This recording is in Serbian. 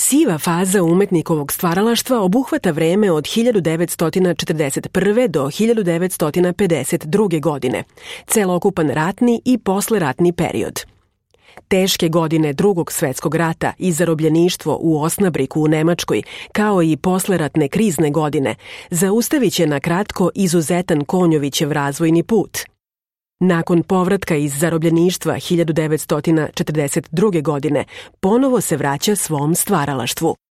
Siva faza umetnikovog stvaralaštva obuhvata vreme od 1941. do 1952. godine, celokupan ratni i posleratni period. Teške godine Drugog svetskog rata i zarobljeništvo u Osnabriku u Nemačkoj, kao i posleratne krizne godine, zaustavit će na kratko izuzetan Konjovićev razvojni put. Nakon povratka iz zarobljeništva 1942. godine, ponovo se vraća svom stvaralaštvu.